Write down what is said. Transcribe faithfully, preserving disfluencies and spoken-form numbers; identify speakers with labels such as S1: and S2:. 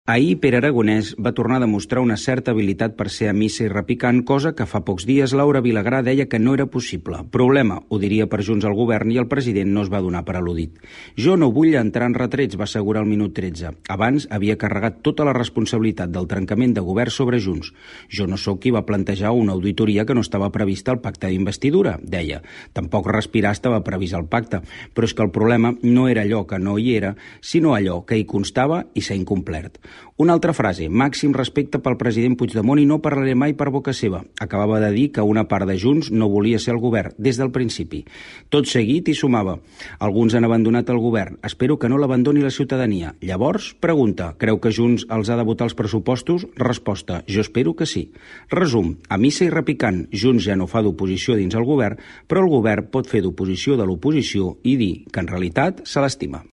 S1: Ahir Pere Aragonès va tornar a demostrar una certa habilitat per ser a missa i repicant, cosa que fa pocs dies Laura Vilagrà deia que no era possible. Problema, ho diria per Junts al govern, i el president no es va donar per al·ludit. Jo no vull entrar en retrets, va assegurar al minut tretze. Abans havia carregat tota la responsabilitat del trencament de govern sobre Junts. Jo no sóc qui va plantejar una auditoria que no estava prevista al pacte d'investidura, deia. Tampoc respirar estava previst al pacte, però és que el problema no era allò que no hi era, sinó allò que hi constava i s'ha incomplert. Una altra frase, màxim respecte pel president Puigdemont i no parlaré mai per boca seva. Acabava de dir que una part de Junts no volia ser al govern, des del principi. Tot seguit hi sumava. Alguns han abandonat el govern. Espero que no l'abandoni la ciutadania. Llavors, pregunta, creu que Junts els ha de votar els pressupostos? Resposta, jo espero que sí. Resum, a missa i repicant, Junts ja no fa d'oposició dins el govern, però el govern pot fer d'oposició de l'oposició i dir que en realitat se l'estima.